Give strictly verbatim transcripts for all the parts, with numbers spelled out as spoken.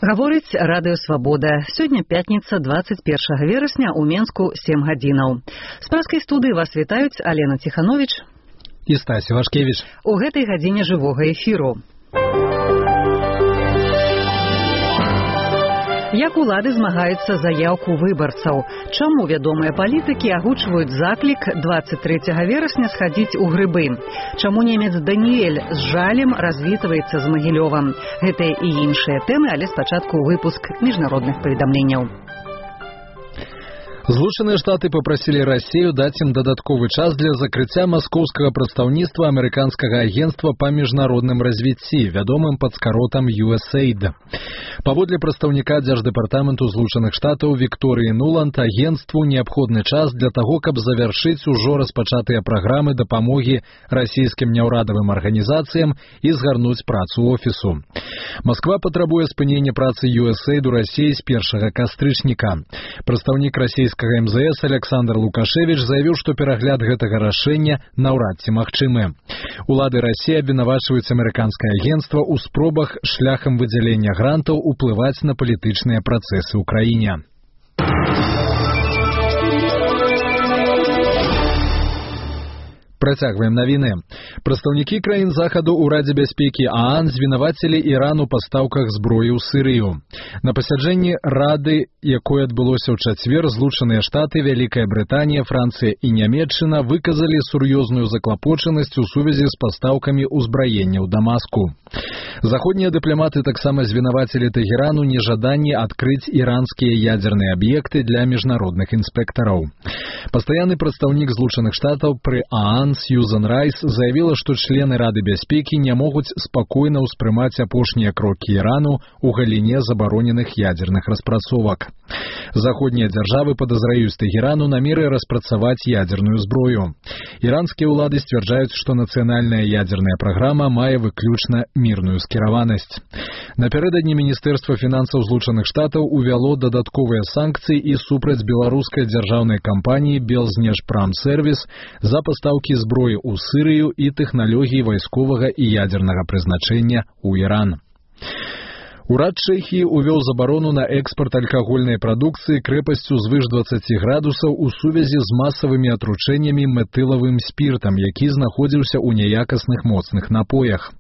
Гаворыць радыё «Свабода». Сёння пятніца, двадцать первого верасня, у Менску сем гадзінаў. З праскай студыі вас вітаюць Алена Тиханович і Стася Вашкевич. У гэтай гадзіне жывога эфіру. Як улады змагаюцца за яўку выбарцаў? Чаму вядомыя палітыкі агучваюць заклік двадцать трэцяга верасня схадзіць у грыбы? Чаму немец Даніэль з жалем развітваецца з Магілёвам? Гэтыя і іншыя тэмы, але спачатку выпуск міжнародных паведамленняў. Злучаныя Штаты папрасілі Расію даць ім дадатковы час для закрыцця маскоўскага прадстаўніцтва амерыканскага агенцтва па міжнародным развіцці, вядомым пад скаротам ю эс эй ай ди. Паводле прадстаўніка Дзярждэпартаменту Злучаных Штатаў Вікторыі Нуланд, агенцтву неабходны час для таго, каб завяршыць ужо распачатыя праграмы дапамогі расійскім няўрадавым арганізацыям і згарнуць працу офісу. Масква патрабуе спынення працы ю эс эй ай ди у Расіі з першага кастрычніка. Прадстаўнік расійскага эм зэ эс Александр Лукашевич заявіў, што перагляд гэтага рашэння наўрад ці магчымы. Улады Расіі абвінавачваюць амерыканскае агенцтва ў спробах шляхам выдзялення грантаў уплываць на палітычныя працэсы ў краіне. Працягваем навіны. Прадстаўнікі краін захаду ў Радзе бяспекі а ан звінавацілі Іран у пастаўках зброі ў Сірыю. На пасяджэнні Рады, якое адбылося ў чацвер, Злучаныя Штаты, Вялікая Брытанія, Францыя і Нямецчына выказалі сур'ёзную заклапочанасць у сувязі з пастаўкамі ўзбраення ў Дамаску. Заходнія дыпламаты таксама звінавацілі Тэгеран у нежаданні адкрыць іранскія ядзерныя аб'екты для міжнародных інспектараў. Пастаянны прадстаўнік Злучаных Штатаў пры а ан Сьюзан Райс заявіла, што члены Рады бяспекі не могуць спакойна ўспрымаць апошнія крокі Ірану ў галіне забароненых ядзерных распрацовак. Заходнія дзяржавы падазраюць Тэгерану намеры распрацаваць ядзерную зброю. Іранскія ўлады сцвярджаюць, што нацыянальная ядзерная праграма мае выключна мірную скіраванасць. Напярэдадні Міністэрства фінансаў Злучаных Штатаў увяло дадатковыя санкцыі і супраць беларускай дзяржаўнай кампаніі Белзнешпрамсервіс за пастаўкі зброі ў Сірыю і тэхналогіі вайсковага і ядзернага прызначэння ў Іран. Урад Чэхіі увёў забарону на экспарт алкагольнай прадукцыі крэпасцю звыш дваццаці градусаў у сувязі з масавымі атручэннямі метылавым спіртам, які знаходзіўся ў няякасных моцных напоях.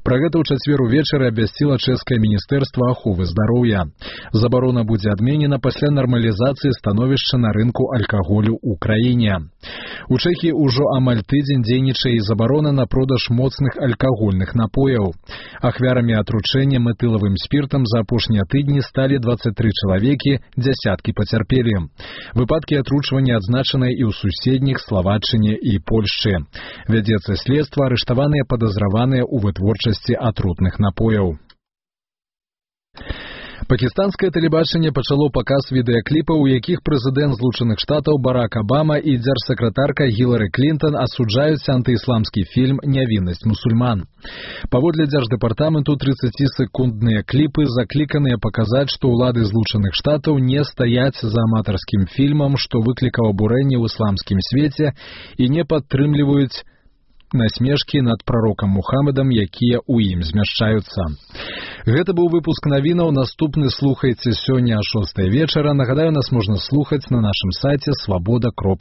Пра гэта ў чацвер увечары абвясціла чэшскае міністэрства аховы здароўя. Забарона будзе адменена пасля нармалізацыі становішча на рынку алкаголю ў краіне. У Чэхіі ўжо амаль тыдзень дзейнічае і забарона на продаж моцных алкагольных напояў. Ахвярамі атручэння метылавым спіртам за апошнія тыдні сталі дваццаць тры чалавекі, дзясяткі пацярпелі. Выпадкі атручвання адзначаныя і ў суседніх Славаччыне і Польшчы. Вядзецца следства, арыштаваныя падазраваныя ў вытворчасці атрутных напояў. Пакістанскае тэлебачанне пачало паказ відэакліпаў, у якіх прэзідэнт Злучаных Штатаў Барак Абама і дзяржсакратарка Гілары Клінтон асуджаюць антыісламскі фільм «Нявіннасць мусульман». Паводле дзярждэпартаменту трыццацісекундныя кліпы закліканыя паказаць, што ўлады Злучаных Штатаў не стаяць за аматарскім фільмам, што выклікаў абурэнне ў ісламскім свеце, і не падтрымліваюць насмешкі над прарокам Мухаммедам, якія ў ім змяшчаюцца. Гэта быў выпуск навінаў. Наступны слухайце сёння а шостай вечара. Нагадаю, нас можна слухаць на нашым сайце свабода кропка